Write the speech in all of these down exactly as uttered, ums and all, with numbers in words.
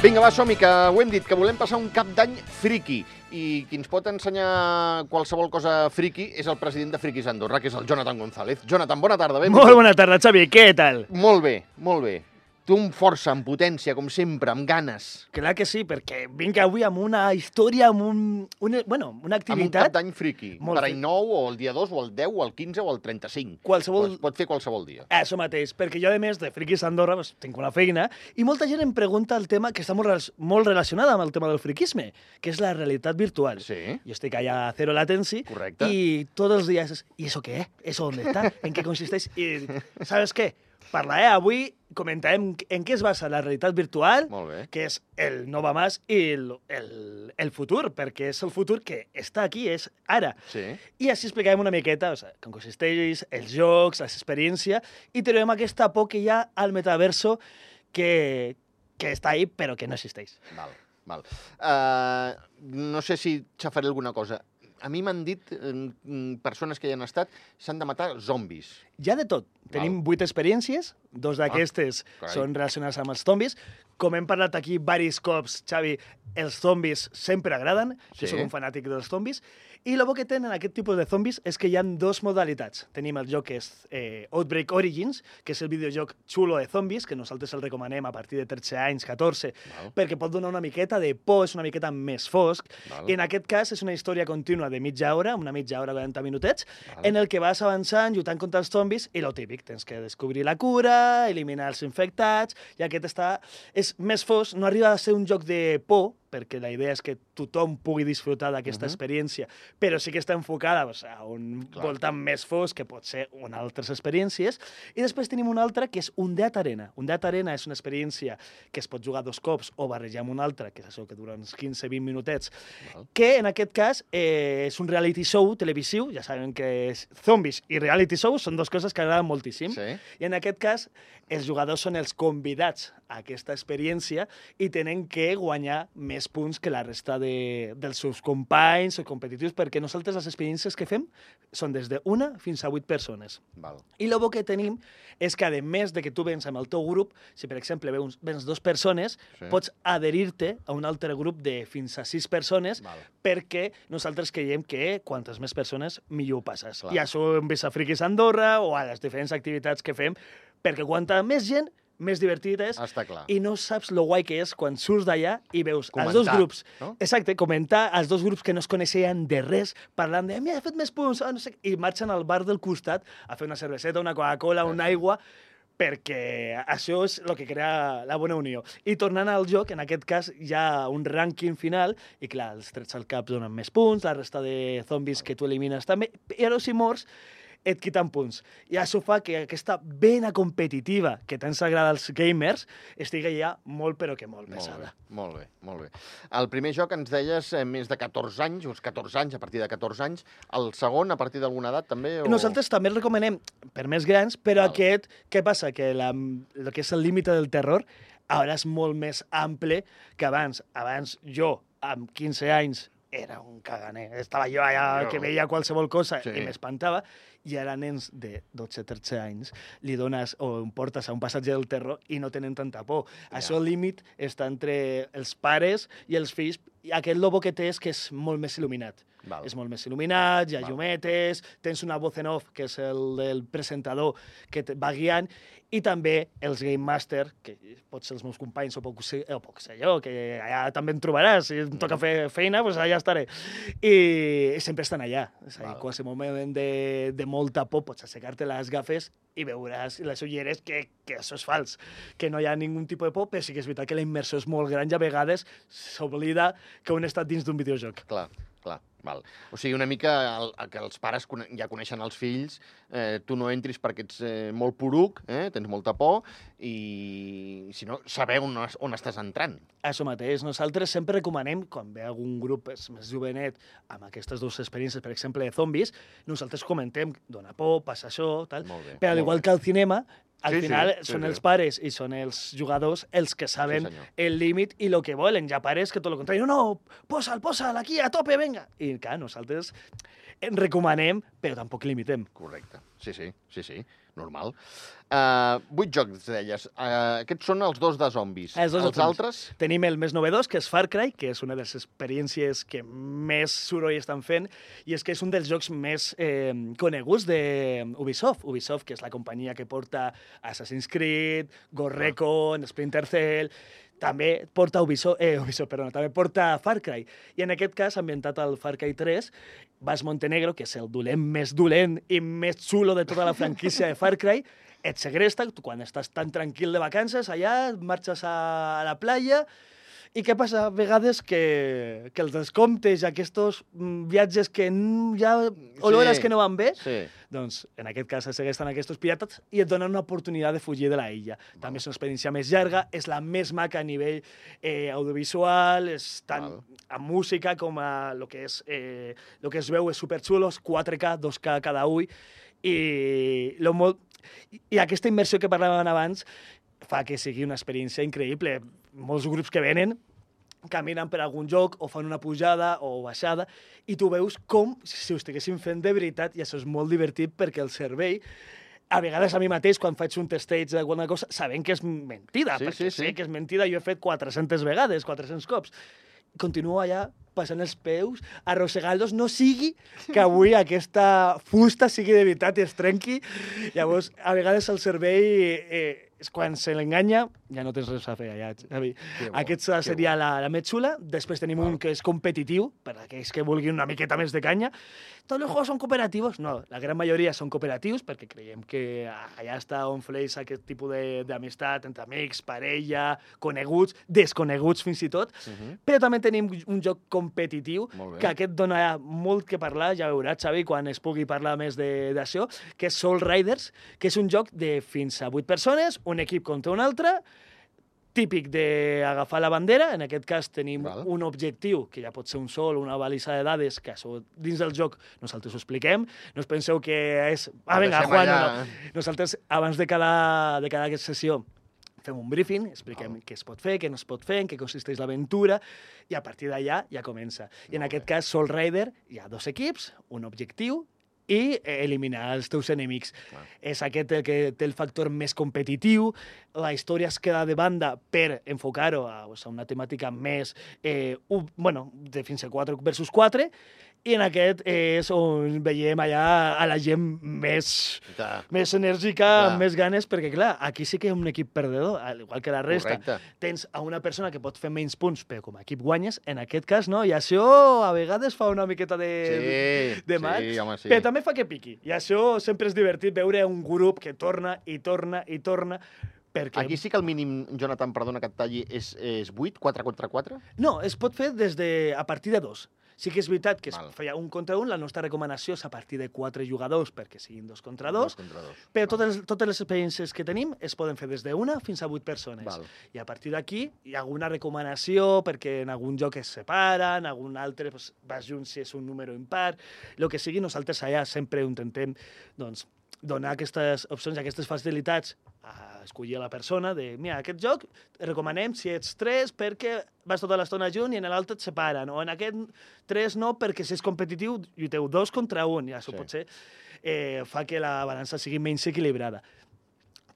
Vinga, va, som-hi, que ho hem dit, que volem passar un cap d'any friqui. I qui ens pot ensenyar qualsevol cosa friqui és el president de Friquis Andorra, que és el Jonathan González. Jonathan, bona tarda. Ben Molt bona tarda, Xavi. Què tal? Molt bé, molt bé. Tu amb força, amb potència, com sempre, amb ganes. Clar que sí, perquè vinc avui amb una història, amb un, una, bueno, una activitat... Amb un cap d'any friqui. Molt Per fri- any nou, o el dia dos, o el deu, o el quinze, o el trenta-cinc. Qualsevol- Es pot fer qualsevol dia. Això mateix, perquè jo, a més de Friquis Andorra, doncs, tinc una feina, i molta gent em pregunta el tema que està molt, rela- molt relacionada amb el tema del friquisme, que és la realitat virtual. Sí. Jo estic allà a Zero Latency, Correcte. y todos los días, ¿y eso qué es? ¿Eso dónde está? ¿En qué consistéis? Y, ¿sabes qué? Parlaré avui, comentarem en què es basa la realitat virtual, Molt bé. que és el no va més, i el, el, el futur, perquè és el futur que està aquí, és ara. Sí. I així explicarem una miqueta, o sigui, com consisteix, els jocs, l'experiència, i trobem aquesta por que hi ha al metaverso que, que està ahí, però que no existeix. Val, val. Uh, no sé si xafaré alguna cosa. A mi m'han dit, eh, persones que hi han estat, s'han de matar zombis. Hi ha de tot. Tenim vuit experiències, dos d'aquestes carai. són relacionades amb els zombis. Com hem parlat aquí diversos cops, Xavi, els zombis sempre agraden, Sí. jo soc un fanàtic dels zombis, i el bo que tenen aquest tipus de zombis és que hi ha dos modalitats. Tenim el joc que és eh, Outbreak Origins, que és el videojoc xulo de zombis, que nosaltres el recomanem a partir de tretze anys, catorze, Val. perquè pot donar una miqueta de por, és una miqueta més fosc. Val. I en aquest cas és una història contínua de mitja hora, una mitja hora, quaranta minutets, Val. en el que vas avançant, lluitant contra els zombis, i lo típic, tens que descobrir la cura, eliminar els infectats, i aquest està... És més fosc, no arriba a ser un joc de por, perquè la idea és que tothom pugui disfrutar d'aquesta Mhm. experiència, però sí que està enfocada doncs, a un Clar. voltant més fosc, que pot ser una altres experiències. I després tenim una altra, que és un Dead Arena. Un Dead Arena és una experiència que es pot jugar dos cops o barrejar amb una altra, que és això que dura uns quinze vint minutets, Val. que en aquest cas eh, és un reality show televisiu. Ja saben que és zombis i reality show són dues coses que agraden moltíssim. Sí. I en aquest cas, els jugadors són els convidats a aquesta experiència i tenen que guanyar més punts que la resta de, dels seus companys o competitius, perquè nosaltres les experiències que fem són des d'una fins a vuit persones. Val. I el bo que tenim és que, a més de que tu vens amb el teu grup, si per exemple vens, vens dues persones, Sí. pots adherir-te a un altre grup de fins a sis persones, Val. perquè nosaltres creiem que quantes més persones, millor ho passes. Clar. I això hem vist a Friquis Andorra o a les diferents activitats que fem, perquè quanta més gent, més divertit és, Està clar. i no saps lo guai que és quan surts d'allà i veus Comentar, els dos grups, no? exacte, comentar els dos grups que no es coneixien de res, parlant de, mira, he fet més punts, ah, no sé, què", i marxen al bar del costat a fer una cerveseta, una Coca-Cola, una aigua, perquè això és el que crea la bona unió. I tornant al joc, en aquest cas hi ha un rànquing final, i clar, els trets al cap donen més punts, la resta de zombis que tu elimines també, però si mors, et quiten punts. I això fa que aquesta vena competitiva que tant s'agrada als gamers estigui ja molt, però que molt Molt bé, pesada. molt bé, molt bé. El primer joc ens deies eh, més de catorze anys, uns catorze anys, a partir de catorze anys. El segon, a partir d'alguna edat, també? O... Nosaltres també el recomanem per més grans, però Val. aquest, què passa? Que la, el que és el límit del terror ara és molt més ample que abans. Abans jo, amb quinze anys, era un caganer. Estava jo allà Jo. que veia qualsevol cosa Sí. i m'espantava, i ara nens de dotze tretze anys li dones o em portes a un passatge del terror i no tenen tanta por. Ja. Això, el límit, està entre els pares i els fills, i aquest lobo que té és que és molt més il·luminat. Val. És molt més il·luminat, hi ha Val. llumetes, tens una voz en off, que és el del presentador, que et va guiant, i també els Game Master, que pot ser els meus companys o puc ser, o puc ser jo, que allà també em trobaràs, si em toca fer feina, doncs allà estaré. I sempre estan allà. És a dir, Val. qualsevol moment de, de molta por pots aixecar-te les gafes i veuràs les ulleres que, que això és fals, que no hi ha ningun tipus de por, però sí que és veritat que la immersió és molt gran i a vegades s'oblida que un està dins d'un videojoc. Clar, clar, val. O sigui, una mica el, el que els pares cone ja coneixen els fills, eh, tu no entris perquè ets eh, molt poruc, eh, tens molta por, i si no, saber on, es- on estàs entrant. Això mateix. Nosaltres sempre recomanem, quan ve algun grup és més jovenet amb aquestes dues experiències, per exemple, de zombis, nosaltres comentem, dona por, passa això, tal. Molt bé, Però al molt igual bé. que al cinema, al Sí, sí, final sí, són sí. els pares i són els jugadors els que saben senyor. el límit i el que volen. Hi ha pares que tot el contrari, no, no, posa'l, posa'l, aquí, a tope, venga. I clar, nosaltres en recomanem, però tampoc limitem. Correcte. Sí, sí, sí, sí. normal. Uh, vuit jocs, deies. Uh, aquests són els dos de zombis. Els, dos els altres? Tenim el més novedós, que és Far Cry, que és una de les experiències que més soroll estan fent, i és que és un dels jocs més eh, coneguts d'Ubisoft. Ubisoft, que és la companyia que porta Assassin's Creed, Ghost Recon, Splinter Cell... També porta Ubisoft, eh, Ubisoft, perdona, també porta Far Cry. I en aquest cas, ambientat al Far Cry tres, vas Montenegro, que és el dolent més dolent i més xulo de tota la franquícia de Far Cry, et segresta, tu quan estàs tan tranquil de vacances, allà marxes a la playa, i què passa? A vegades que, que els descomptes, aquests viatges que hi ha olores sí, que no van bé, sí. Doncs en aquest cas segresten aquests pirates i et donen una oportunitat de fugir de la illa. Val. També és una experiència més llarga, és la més maca a nivell eh, audiovisual, és tant Val. A música com a el que, és, eh, lo que es veu és superxulo, és quatre K, dos K cada ull, i, lo molt, i aquesta immersió que parlàvem abans fa que sigui una experiència increïble. Molts grups que venen caminen per algun joc o fan una pujada o baixada i tu veus com si ho estiguessin fent de veritat i això és molt divertit perquè el cervell, a vegades a mi mateix, quan faig un testeig d'alguna cosa, sabent que és mentida, sí, perquè sí, sí. sé que és mentida, jo he fet quatre-centes vegades, quatre-cents cops. Continuo allà passant els peus, arrossegant-los, no sigui que avui aquesta fusta sigui de veritat i es trenqui. Llavors, a vegades el cervell, eh, quan se l'enganya, ja no tens res a fer allà, Xavi. Aquesta seria la, la més xula. Després tenim un que és competitiu, per aquells que vulguin una miqueta més de canya. Tots els jocs són cooperatius? No, la gran majoria són cooperatius, perquè creiem que allà està on fleix aquest tipus d'amistat entre amics, parella, coneguts, desconeguts fins i tot. Uh -huh. Però també tenim un joc competitiu, que aquest dona molt que parlar, ja veuràs, Xavi, quan es pugui parlar més d'això, que és Soul Riders, que és un joc de fins a vuit persones, un equip contra un altre, típic d'agafar la bandera. En aquest cas tenim Val. Un objectiu, que ja pot ser un sol, una balisa de dades, que això dins del joc nosaltres ho expliquem. No us penseu que és... Ah, vinga, Juan, no, no. Nosaltres, abans de cada, de cada sessió, fem un briefing, expliquem oh. què es pot fer, què no es pot fer, en què consisteix l'aventura, i a partir d'allà ja comença. I en Molt aquest bé. Cas, Soul Rider, hi ha dos equips, un objectiu, i eliminar els teus enemics. Ah. És aquest el que té el factor més competitiu, la història es queda de banda per enfocar-ho a, a una temàtica més, eh, un, bueno, de fins a quatre versus quatre, i en aquest és on veiem allà a la gent més, més enèrgica, clar. Amb més ganes, perquè, clar, aquí sí que hi ha un equip perdedor, al igual que la resta. Correcte. Tens a una persona que pot fer menys punts, però com a equip guanyes, en aquest cas no, i això a vegades fa una miqueta de, sí, de mal, sí, home, sí. Però també fa que piqui, i això sempre és divertit, veure un grup que torna i torna i torna, perquè... Aquí sí que el mínim, Jonathan, perdona que et talli, és, és vuit, quatre contra quatre? No, es pot fer des de, a partir de dos. Sí que és veritat que es Val. Feia un contra un, la nostra recomanació és a partir de quatre jugadors perquè siguin dos contra dos, dos, contra dos. Però totes, totes les experiències que tenim es poden fer des d'una fins a vuit persones. Val. I a partir d'aquí hi ha alguna recomanació perquè en algun joc es separen, en algun altre pues, vas junts si és un número impar, el que sigui, nosaltres allà sempre intentem doncs, donar aquestes opcions, aquestes facilitats a escollir a la persona de, mira, aquest joc recomanem si ets tres perquè vas tota l'estona junt i en l'altre et separen, o en aquest tres no perquè si és competitiu lluiteu dos contra un, i això sí. Potser eh, fa que la balança sigui menys equilibrada.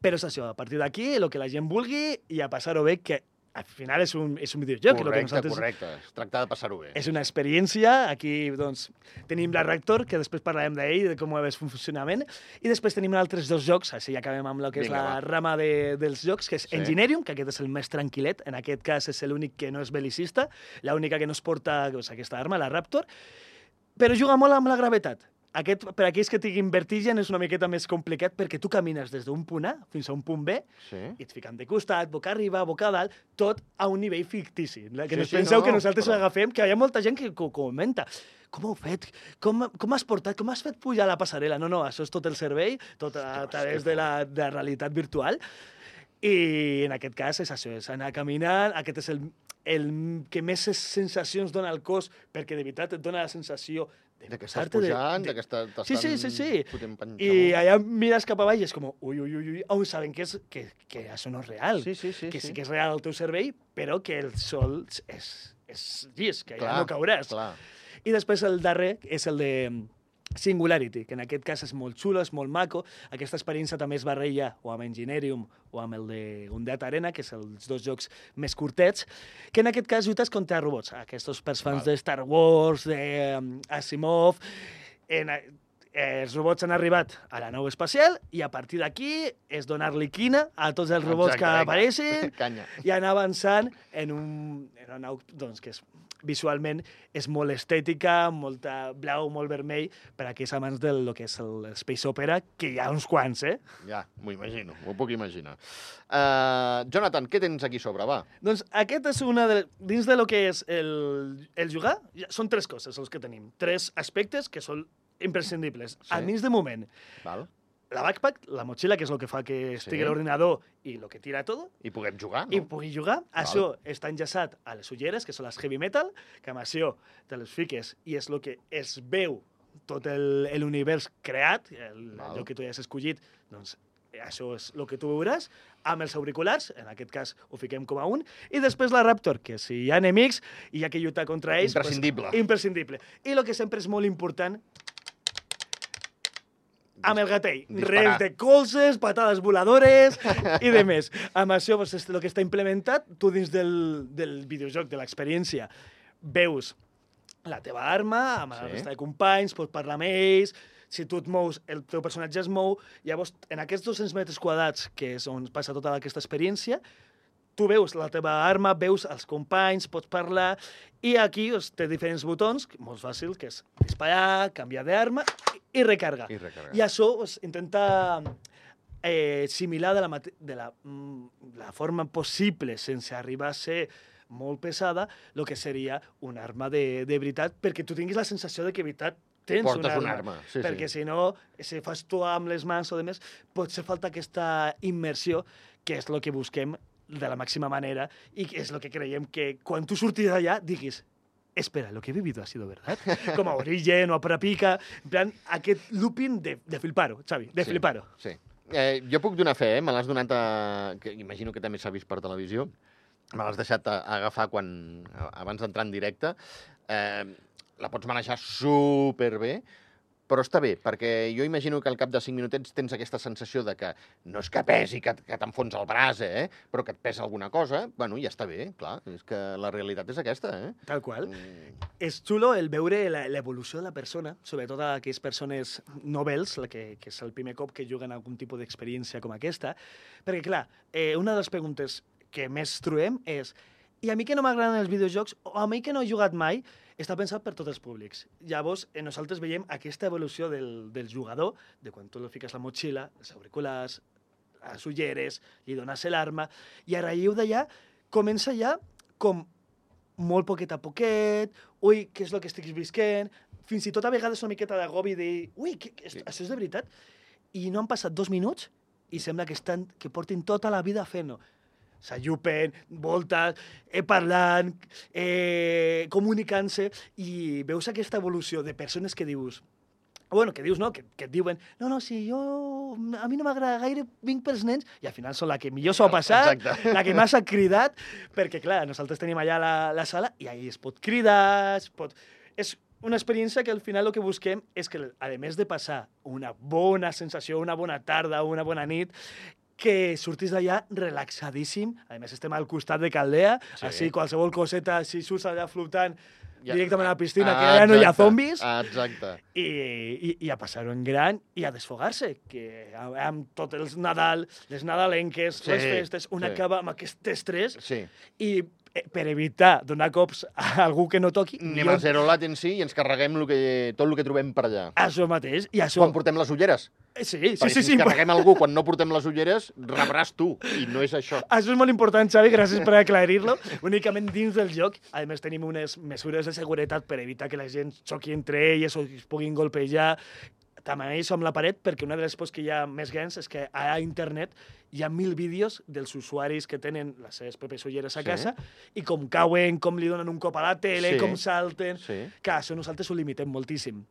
Però és això, a partir d'aquí, el que la gent vulgui i a passar-ho bé, que al final és un, és un videojoc. Correcte, que nosaltres... correcte. Es tracta de passar-ho bé. És una experiència. Aquí doncs, tenim la Raptor, que després parlarem d'ell, de com és el funcionament. I després tenim altres dos jocs, així ja acabem amb el que Vinga, és la va. Rama de, dels jocs, que és sí. Engineering, que aquest és el més tranquil·let. En aquest cas és l'únic que no és belicista, l'única que no es porta doncs, aquesta arma, la Raptor, però juga molt amb la gravetat. Aquest, per aquells que tinguin vertigen és una miqueta més complicat perquè tu camines des d'un punt A fins a un punt B sí. I et fiquen de costat, boca arriba, boca dalt, tot a un nivell fictici. Que sí, no us sí, penseu no, que nosaltres però... l'agafem, que hi ha molta gent que ho comenta. Com ho heu fet? Com, com has portat? Com has fet pujar la passarel·la? No, no, això és tot el servei, tot a, a través de la, de la realitat virtual. I en aquest cas és això, és anar caminant, aquest és el, el que més sensacions dona al cos, perquè de veritat et dona la sensació de, de que estàs pujant, de, de... de que t'estan sí, sí, sí, sí. fotent panxa. I allà mires cap avall i és com, ui, ui, ui, ui, on saben que, és, que, que això no és real, sí, sí, sí, que sí, sí que és real el teu cervell, però que el sol és, és llis, que clar, ja no cauràs. Clar. I després el darrer és el de Singularity, que en aquest cas és molt xulo, és molt maco. Aquesta experiència també es barreja o amb Enginerium o amb el de Undead Arena, que són els dos jocs més curtets, que en aquest cas lluites contra robots. Aquests per fans de Star Wars, d'Asimov... En, eh, els robots han arribat a la nau espacial i a partir d'aquí és donar-li quina a tots els robots Exacte, que vinga. apareixen Canya. i anar avançant en, un, en una nau doncs, que és, visualment és molt estètica, molta blau, molt vermell, per a aquells amants del lo que és el Space Opera, que hi ha uns quants, eh? Ja, m'ho imagino, m'ho puc imaginar. Uh, Jonathan, què tens aquí sobre, va? Doncs aquest és una de... Dins de lo que és el, el jugar, ja, són tres coses els que tenim. Tres aspectes que són imprescindibles. Sí. A dins de moment, Val? la backpack, la motxilla, que és el que fa que estigui Sí. l'ordinador i el que tira tot, I puguem jugar, i no? pugui jugar. Això està enllaçat a les ulleres, que són les heavy metal, que amb això te les fiques i és el que es veu tot l'univers creat, el, Val. allò que tu ja has escollit, doncs això és el que tu veuràs, amb els auriculars, en aquest cas ho fiquem com a un, i després la Raptor, que si hi ha enemics i hi ha que lluitar contra ells... Imprescindible. Pues, imprescindible. I el que sempre és molt important, amb el gatell. Disparar. Res de colzes, patades voladores i de més. Amb això, pues, és el que està implementat, tu dins del, del videojoc, de l'experiència, veus la teva arma, amb la Sí. resta de companys, pots parlar amb ells, si tu et mous, el teu personatge es mou, llavors, en aquests dos-cents metres quadrats, que és on passa tota aquesta experiència, tu veus la teva arma, veus els companys, pots parlar, i aquí doncs, té diferents botons, molt fàcil, que és disparar, canviar d'arma i, i recarga. I recarregar. I això doncs, intenta eh, similar de, la, mate- de la, mm, la forma possible, sense arribar a ser molt pesada, el que seria una arma de, de veritat, perquè tu tinguis la sensació de que de veritat tens Portes una una arma. arma, sí, perquè sí. si no, si fas tu amb les mans o de més, potser falta aquesta immersió, que és el que busquem de la màxima manera i que és el que creiem que quan tu surtis d'allà diguis espera, lo que he vivido ha sido verdad. Com a Origen o a Prapica, en plan, aquest looping de, de flipar-ho, Xavi, de Sí, flipar-ho. Sí. Eh, jo puc donar fe, eh? Me l'has donat a... Que imagino que també s'ha vist per televisió. Me l'has deixat a, a agafar quan, abans d'entrar en directe. Eh, la pots manejar superbé, però està bé, perquè jo imagino que al cap de cinc minutets tens aquesta sensació de que no és que pesi, que, que t'enfonsa el braç, eh? Però que et pesa alguna cosa. Bueno, ja està bé, clar. És que la realitat és aquesta, eh? Tal qual. Mm, És xulo el veure la- l'evolució de la persona, sobretot a aquelles persones novells, la que, que és el primer cop que juguen algun tipus d'experiència com aquesta, perquè, clar, eh, una de les preguntes que més trobem és i a mi que no m'agraden els videojocs, o a mi que no he jugat mai, està pensat per tots els públics. Llavors, eh, nosaltres veiem aquesta evolució del, del jugador, de quan tu li fiques la motxilla, els auriculars, les ulleres, li dones l'arma, i a raïu d'allà comença ja com molt poquet a poquet, ui, què és el que estic visquent, fins i tot a vegades una miqueta d'agobi de dir, ui, que, que, Sí. això és de veritat? I no han passat dos minuts i sembla que, estan, que portin tota la vida fent-ho. S'allupen, voltes, eh, parlant, eh, comunicant-se, i veus aquesta evolució de persones que dius, bueno, que dius, no, que, que et diuen, no, no, si jo, a mi no m'agrada gaire, vinc pels nens, i al final són la que millor s'ho ha passat, Exacte. la que més ha cridat, perquè, clar, nosaltres tenim allà la, la sala i ahí es pot cridar, es pot... És una experiència que al final el que busquem és que, a més de passar una bona sensació, una bona tarda, una bona nit, que surtis d'allà relaxadíssim. A més, estem al costat de Caldea, Sí. així qualsevol coseta, si surts allà flotant Ja- directament a la piscina, Ah, que ja no hi ha exacte. zombis, Ah, exacte. i, i, i a passar-ho en gran i a desfogar-se, que amb tots els Nadal, les nadalenques, Sí, les festes, un sí. acaba amb aquest estrès Sí. i eh, per evitar donar cops a algú que no toqui, Anem a zero latency i ens carreguem lo que, tot el que trobem per allà. això mateix, i això... Quan portem les ulleres. Eh, Sí, sí, Perquè sí, si sí, ens carreguem algú quan no portem les ulleres, rebràs tu, i no és això. Això és molt important, Xavi, gràcies per aclarir-lo. Únicament dins del joc, a més, tenim unes mesures de seguretat per evitar que la gent xoqui entre elles o es puguin golpejar. També això amb la paret, perquè una de les pors que hi ha més grans és que a internet hi ha mil vídeos dels usuaris que tenen les seves pròpies ulleres a Sí. casa i com cauen, com li donen un cop a la tele, Sí. com salten... Sí. Que això nosaltres ho limitem moltíssim.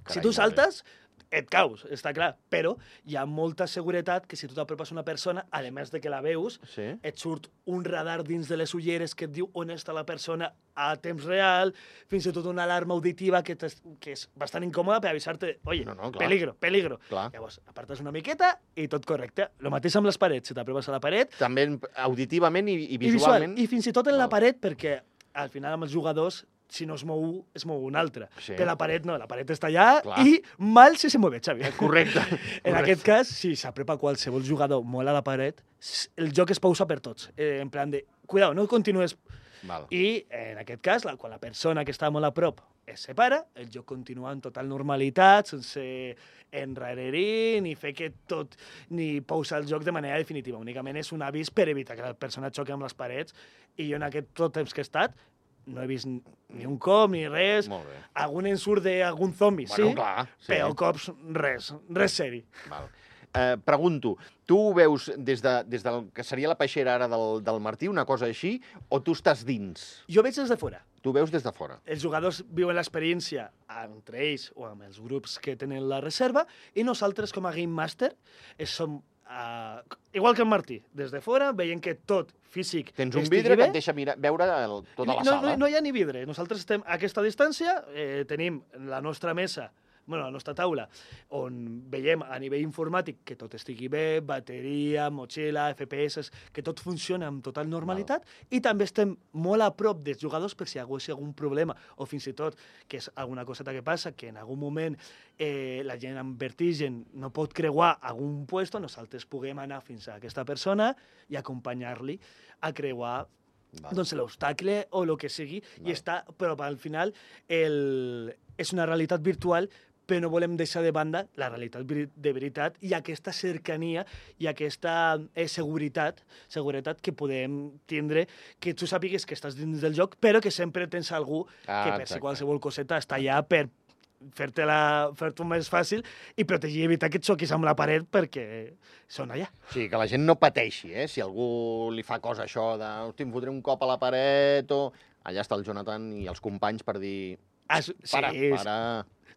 Carai, si tu molt bé. saltes, et caus, està clar. Però hi ha molta seguretat que si tu t'apropes a una persona, a més de que la veus, Sí. et surt un radar dins de les ulleres que et diu on està la persona a temps real, fins i tot una alarma auditiva que, que és bastant incòmoda per avisar-te, oye, No, no, clar. peligro, peligro. Clar. Llavors, apartes una miqueta i tot correcte. Lo mateix amb les parets. Si t'apropes a la paret, També auditivament i, i i visual, visualment. i fins i tot en la Val. paret, perquè al final amb els jugadors, si no es mou un, es mou un altre. Sí. Però la paret no, la paret està allà Clar. i mal si se mueve, Xavi. Correcte. En aquest cas, si s'aprepa qualsevol jugador molt a la paret, s- el joc es pausa per tots. Eh, en plan de, cuidao, no continues. Val. I, en aquest cas, la, quan la persona que està molt a prop es separa, el joc continua en total normalitat, sense enrarerir, ni fer que tot, ni pausar el joc de manera definitiva. Únicament és un avís per evitar que la persona xoqui amb les parets. I jo en aquest tot temps que he estat, no he vist ni un cop ni res. Molt bé. Algun ensurt d'algun zombi, Bueno, sí, clar, sí. però cops res, res seri. Val. Eh, pregunto, tu ho veus des, de, des del que seria la peixera ara del, del Martí, una cosa així, o tu estàs dins? Jo veig des de fora. Tu veus des de fora. Els jugadors viuen l'experiència entre ells o amb els grups que tenen la reserva i nosaltres, com a Game Master, eh, som, uh, igual que el Martí, des de fora, veient que tot físic Tens un estigui vidre bé. que et deixa mirar, veure el, tota la no, sala. No, no hi ha ni vidre. Nosaltres estem a aquesta distància, eh, tenim la nostra mesa, bueno, la nostra taula, on veiem a nivell informàtic que tot estigui bé, bateria, motxilla, F P S, que tot funciona amb total normalitat, i també estem molt a prop dels jugadors per si hi hagués algun problema, o fins i tot que és alguna coseta que passa, que en algun moment eh, la gent amb vertigen no pot creuar algun puesto, nosaltres puguem anar fins a aquesta persona i acompanyar-li a creuar Val. doncs l'obstacle o el que sigui, Val. i està, però al final el, és una realitat virtual, però no volem deixar de banda la realitat veri- de veritat i aquesta cercania i aquesta eh, seguretat, seguretat que podem tindre, que tu sàpigues que estàs dins del joc, però que sempre tens algú Ah, que per si exacte. qualsevol coseta està allà per fer-te-la fer-t'ho més fàcil i protegir i evitar que et xoquis amb la paret perquè són allà. O sigui, que la gent no pateixi, eh? Si algú li fa cosa això de, hosti, em fotré un cop a la paret o... Allà està el Jonathan i els companys per dir... Ah, sí, Para, para...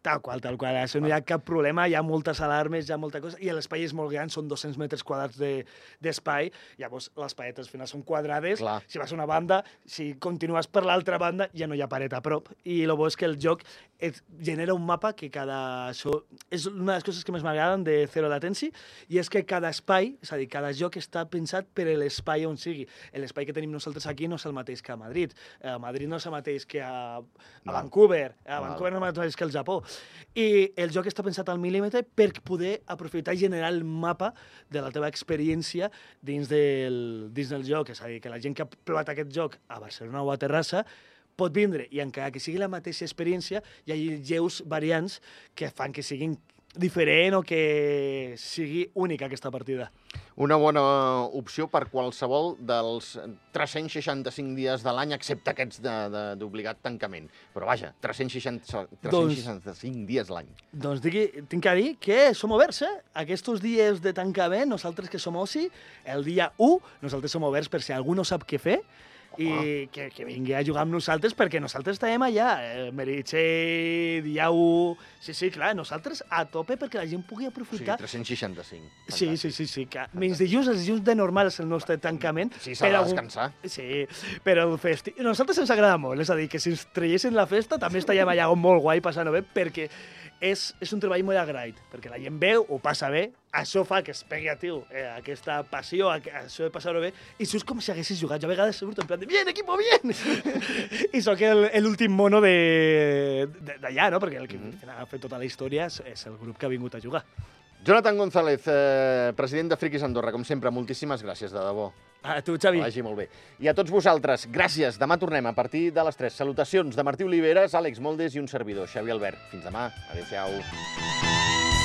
Tal qual, tal qual. Això no hi ha cap problema, hi ha moltes alarmes, hi ha molta cosa, i l'espai és molt gran, són dos-cents metres quadrats de- d'espai, llavors les paretes al final són quadrades, Clar. si vas a una banda, si continues per l'altra banda, ja no hi ha paret a prop, i el bo és que el joc et genera un mapa que cada... Això és una de les coses que més m'agraden de Zero Latency, i és que cada espai, és a dir, cada joc està pensat per a l'espai on sigui. L'espai que tenim nosaltres aquí no és el mateix que a Madrid, a Madrid no és el mateix que a, a Val. Vancouver, a Val. Vancouver no és el mateix que al Japó. I el joc està pensat al mil·límetre per poder aprofitar i generar el mapa de la teva experiència dins del, dins del joc. És a dir, que la gent que ha provat aquest joc a Barcelona o a Terrassa pot vindre i encara que sigui la mateixa experiència, hi ha lleus variants que fan que siguin diferent o que sigui única aquesta partida. Una bona opció per qualsevol dels tres-cents seixanta-cinc dies de l'any, excepte aquests de- de- d'obligat tancament. Però vaja, tres-cents seixanta, tres-cents seixanta-cinc dies l'any. Doncs digui, tinc que dir que som oberts, eh? Aquests dies de tancament, nosaltres que som oci, el dia u, nosaltres som oberts per si algú no sap què fer, i que, que vingui a jugar amb nosaltres perquè nosaltres estem allà, eh, Meritxell, dia u... Sí, sí, clar, nosaltres a tope perquè la gent pugui O sigui, aprofitar. tres-cents seixanta-cinc. Sí, sí, sí, sí, que menys dilluns, els dilluns de normal és el nostre tancament. Sí, s'ha de però- descansar. Sí, però el festi... A nosaltres ens agrada molt, és a dir, que si ens traiessin la festa també estaríem allà molt guai passant-ho bé, perquè és, és un treball molt agraït, perquè la gent veu, ho passa bé, això fa que es pegui a tu eh, aquesta passió, a- això de passar-ho bé, i surts com si haguessis jugat. Jo a vegades surto en plan de, bien, equipo, bien! I sóc el- l'últim mono de- de- d'allà, no? Perquè el que Mhm. ha fet tota la història és, és el grup que ha vingut a jugar. Jonathan González, eh, president de Friquis Andorra, com sempre, moltíssimes gràcies, de debò. A tu, Xavi. Que vagi molt bé. I a tots vosaltres, gràcies. Demà tornem a partir de les tres. Salutacions de Martí Oliveres, Àlex Moldes i un servidor, Xavi Albert. Fins demà. Adéu-siau.